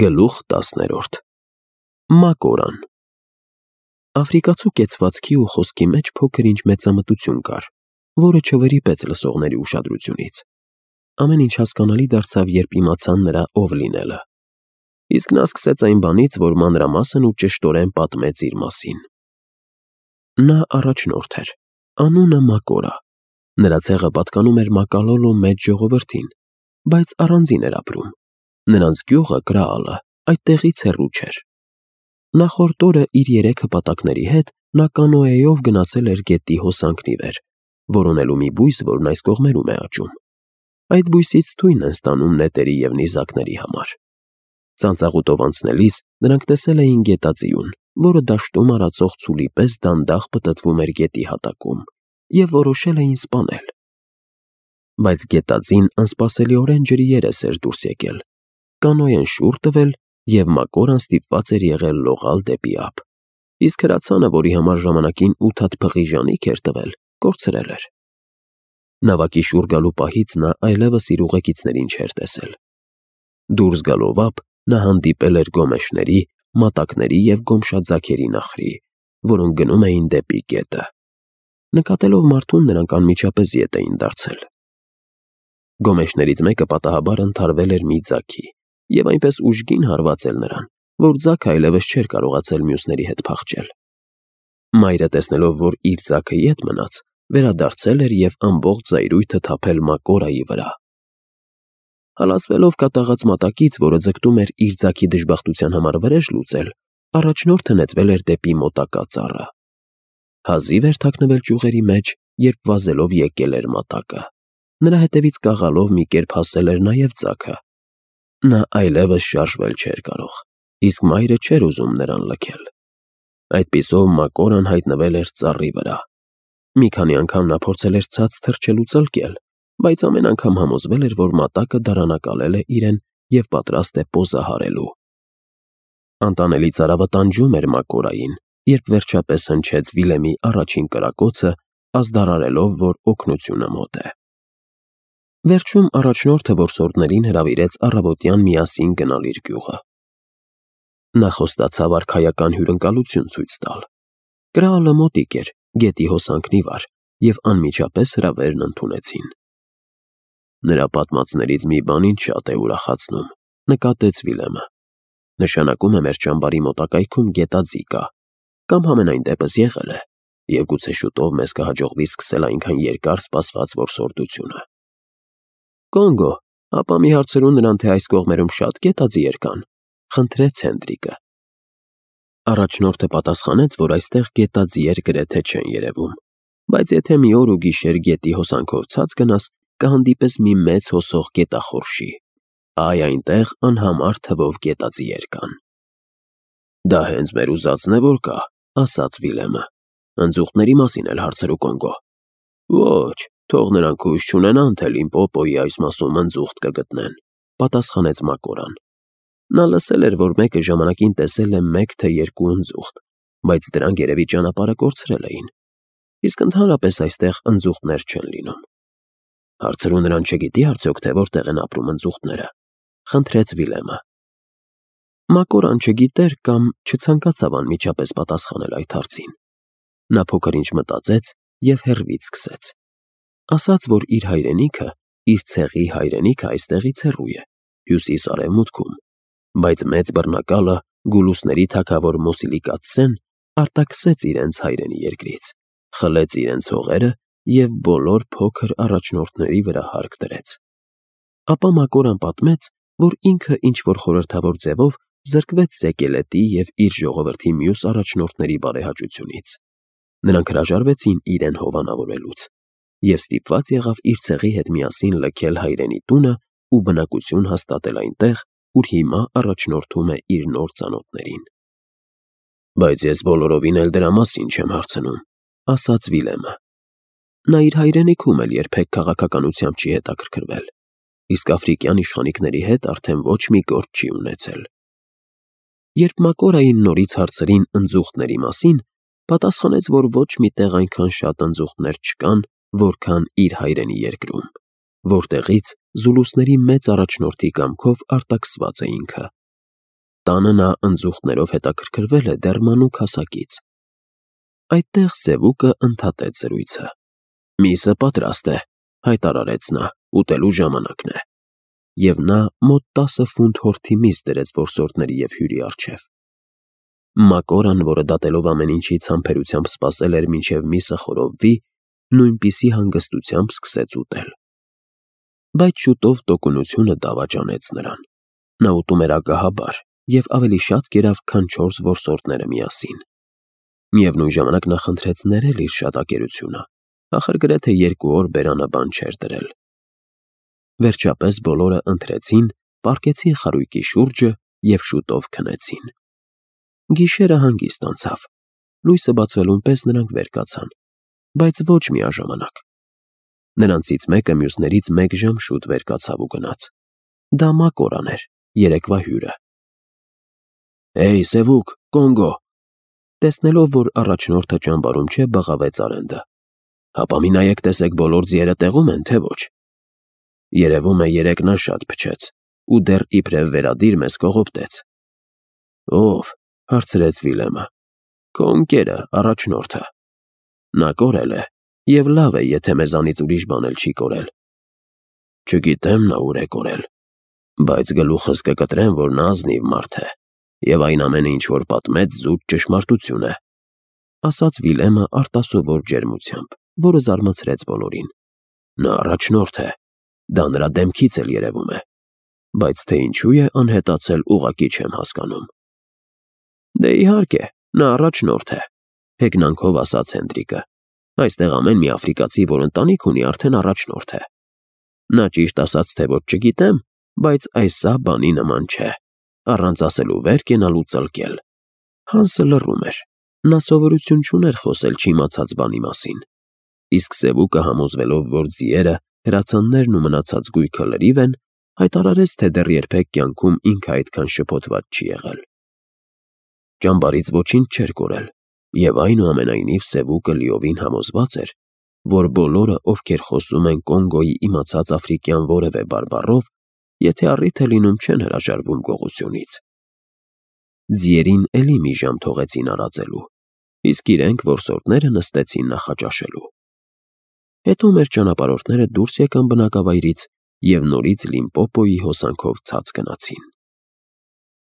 Գլուխ 10 Մակորան Աֆրիկացու կեցվածքի ու խոսքի մեջ փոքր-ինչ մեծամտություն կար, որը չվրիպեց լսողների ուշադրությունից։ Ամեն ինչ հասկանալի դարձավ, երբ իմացան նրա ով լինելը։ Իսկ նա սկսեց այն բանից, որ մանրամասն ու ճշտորեն պատմեց իր մասին։ Նա առաջնորդ էր, անունը Մակորա։ Նրա ցեղը պատկանում էր Մակալոլո մեծ ժողովրդին, բայց առանձին էր ապրում։ Նրանց գյուղը Կրաալը այդտեղից հեռու չէր։ Նախորդ օրը իր 3 հպատակների հետ նա կանոեով գնացել էր գետի հոսանքն ի վեր, որոնելու մի բույս, որն այս կողմերում է աճում։ Այդ բույսից թույն են ստանում նետերի և նիզակների համար։ Ծանծաղուտով անցնելիս նրանք տեսել էին գետաձիուն, որը դաշտում արածող ցուլի պես դանդաղ պտտվում էր գետի հատակում, և որոշել էին սպանել։ Բայց գետաձին անսպասելիորեն ջրի երես էր դուրս եկել, կանոեն շուռ տվել, և Մակորան ստիպված էր եղել լողալ դեպի ափ, իսկ հրացանը, որի համար ժամանակին 8 հատ փղի ժանիք էր տվել, կորցրել էր։ Նավակի շուռ գալու պահից նա այլևս իր ուղեկիցներին չէր տեսել։ Դուրս գալով ափ, նա հանդիպել էր գոմեշների, մատակների և գոմշաձագերի նախրի, որոնք գնում էին դեպի գետը։ Նկատելով մարդուն, նրանք անմիջապես ետ էին դարձել։ Գոմեշներից մեկը պատահաբար ընդհարվել էր մի ձագի և այնպես ուժգին հարվածել նրան, որ ձագը այլևս չէր կարողացել մյուսների հետ փախչել։ Մայրը, տեսնելով, որ իր ձագը ետ մնաց, վերադարձել էր և ամբողջ զայրույթը թափել Մակորայի վրա։ Հալածվելով կատաղած մատակից, որը ձգտում էր իր ձագի դժբախտության համար վրեժ լուծել, առաջնորդը նետվել էր դեպի մոտակա ծառը։ Հազիվ էր թաքնվել ճյուղերի մեջ, երբ վազելով եկել էր մատակը։ Նրա հետևից կաղալով մի կերպ հասել էր նաև ձագը։ Նա այլևս շարժվել չէր կարող, իսկ մայրը չէր ուզում նրան լքել։ Այդպիսով Մակորան հայտնվել էր ծառի վրա։ Մի քանի անգամ նա փորձել էր ցած թռչել ու ծլկել, բայց ամեն անգամ համոզվել էր, որ մատակը դարանակալել է իրեն և պատրաստ է պոզահարելու։ Անտանելի ծարավը տանջում էր Մակորային, երբ վերջապես հնչեց Վիլեմի առաջին կրակոցը, ազդարարելով, որ օգնությունը մոտ է։ Վերջում առաջնորդը որսորդներին հրավիրեց առավոտյան միասին գնալ իր գյուղը։ Նա խոստացավ արքայական հյուրընկալություն ցույց տալ։ Կրաալը մոտիկ էր, գետի հոսանքն ի վար, և անմիջապես հրավերն ընդունեցին։ Նրա պատմածներից մի բան ինձ շատ է ուրախացնում, նկատեց Վիլեմը։ Նշանակում է մեր ճամբարի մոտակայքում գետաձի կա, կամ համենայն դեպս եղել է, և գուցե շուտով մեզ կհաջողվի սկսել այնքան երկար սպասված որսորդությունը։ Կոնգո, ապա մի հարցրու նրան, թե այս կողմերում շատ գետաձիեր կան, խնդրեց Հենդրիկը։ Առաջնորդը պատասխանեց, որ այստեղ գետաձիեր գրեթե չեն երևում, բայց եթե մի օր ու գիշեր գետի հոսանքով ցած գնաս, կհանդիպես մի մեծ հոսող գետախորշի։ Այ այնտեղ անհամար թվով գետաձիեր կան։ Դա հենց մեր ուզածն է, որ կա, ասաց Վիլեմը։ Ընձուղտների մասին էլ հարցրու Կոնգո։ Ոչ, թող նրանք հույս չունենան, թե Լիմպոպոյի այս մասում ընձուղտ կգտնեն, պատասխանեց Մակորան։ Նա լսել էր, որ մեկը ժամանակին տեսել է 1 թե 2 ընձուղտ, բայց դրանք երևի ճանապարհը կորցրել էին, իսկ ընդհանրապես այստեղ ընձուղտներ չեն լինում։ Հարցրու նրան, չգիտի արդյոք, թե որտեղ են ապրում ընձուղտները, խնդրեց Վիլեմը։ Մակորան չգիտեր կամ չցանկացավ անմիջապես պատասխանել այդ հարցին։ Նա փոքր-ինչ մտածեց և հեռվից սկսեց։ Ասաց, որ իր հայրենիքը, իր ցեղի հայրենիքը այստեղից հեռու է, հյուսիս-արևմուտքում, բայց մեծ բռնակալը, Գուլուսների թագավոր Մոսիլիկացսեն արտաքսեց իրենց հայրենի երկրից, խլեց իրենց հողերը և բոլոր փոքր առաջնորդների վրա հարկ դրեց։ Ապա Մակորան պատմեց, որ ինքը ինչ-որ խորհրդավոր ձևով զրկվեց Զեկելետի և իր ժողովրդի մյուս առաջնորդների բարեհաճությունից։ Նրանք հրաժարվեցին իրեն հովանավորելուց և ստիպված եղավ իր ցեղի հետ միասին լքել հայրենի տունը ու բնակություն հաստատել այնտեղ, ուր հիմա առաջնորդում է իր նոր ծանոթներին։ Բայց ես բոլորովին էլ դրա մասին չեմ հարցնում, ասաց Վիլեմը։ Նա իր հայրենիքում էլ երբեք քաղաքականությամբ չի հետաքրքրվել, իսկ աֆրիկյան իշխանիկների հետ արդեն ոչ մի գործ չի ունեցել։ Երբ Մակորային նորից հարցրին ընձուղտների մասին, պատասխանեց, որ ոչ մի տեղ այնքան շատ ընձուղտներ չկան, որքան իր հայրենի երկրում, որտեղից զուլուսների մեծ առաջնորդի կամքով արտաքսված է ինքը։ Տանը նա ընձուղտներով հետաքրքրվել է դեռ մանուկ հասակից։ Այդտեղ Սևուկը ընդհատեց զրույցը։ «Միսը պատրաստ է», հայտարարեց նա, «ուտելու ժամանակն է»։ Եվ նա մոտ 10 ֆունտ հորթի միս դրեց որսորդների և հյուրի առջև։ Մակորան, որը դատելով ամեն ինչից համբերությամբ սպասել էր մինչև միսը խորովվի, նույնպիսի հանգստությամբ սկսեց ուտել։ Բայց շուտով տոկունությունը դավաճանեց նրան։ Նա ուտում էր ագահաբար և ավելի շատ կերավ, քան 4 որսորդները միասին։ Միևնույն ժամանակ նա խնդրեց ներել իր շատակերությունը, ախր գրեթե 2 օր բերանը բան չէր դրել։ Վերջապես բոլորը ընթրեցին, պառկեցին խարույկի շուրջը և շուտով քնեցին։ Գիշերը հանգիստ անցավ։ Լույսը բացվելուն պես նրանք վեր կացան, բայց ոչ միաժամանակ։ Նրանցից մեկը մյուսներից 1 ժամ շուտ վեր կացավ ու գնաց։ Դա Մակորան էր, երեկվա հյուրը։ «Հեյ, Սևուկ, Կոնգո», տեսնելով, որ առաջնորդը ճամբարում չէ, բղավեց Արենդը։ «Հապա մի նայեք տեսեք բոլոր ձիերը տեղում են, թե ոչ»։ Երևում է երեկ նա շատ փչեց ու դեռ իբրև վերադիր մեզ կողոպտեց։ «Ո՞վ», հարցրեց Վիլեմը։ «Քո ընկերը, առաջնորդը։ Նա կորել է, և լավ է, եթե մեզանից ուրիշ բան էլ չի կորել»։ «Չգիտեմ նա ուր է կորել, բայց գլուխս կկտրեմ, որ նա ազնիվ մարդ է, և այն ամենը, ինչ որ պատմեց, զուտ ճշմարտություն է», ասաց Վիլեմը արտասովոր ջերմությամբ, որը զարմացրեց բոլորին։ «Նա առաջնորդ է, դա նրա դեմքից էլ երևում է, բայց թե ինչու է անհետացել, ուղղակի չեմ հասկանում»։ «Դե իհարկե, նա առաջնորդ է», հեգնանքով ասաց Հենդրիկը։ «Այստեղ ամեն մի աֆրիկացի, որ ընտանիք ունի, արդեն առաջնորդ է։ Նա ճիշտ ասած, թե ոչ չգիտեմ, բայց այս սա բանի նման չէ, առանց ասելու վեր կենալու ծլկել»։ Հանսը լռում էր։ Նա սովորություն չուներ խոսել չիմացած բանի մասին։ Իսկ Սևուկը, համոզվելով, որ ձիերը, հրացաններն ու մնացած գույքը լրիվ են, հայտարարեց, թե դեռ երբեք կյանքում ինքը այդքան շփոթված չի եղել։ Ճամբարից ոչինչ չէր կորել, և այնուամենայնիվ Սևուկը լիովին համոզված էր, որ բոլորը, ովքեր խոսում են Կոնգոյի իմացած աֆրիկյան որևէ բարբառով, եթե առիթ է լինում, չեն հրաժարվում գողությունից։ Ձիերին էլի մի ժամ թողեցին արածելու, իսկ իրենք որսորդները նստեցին նախաճաշելու։ Հետո մեր ճանապարհորդները դուրս եկան բնակավայրից և նորից Լիմպոպոյի հոսանքով ցած գնացին։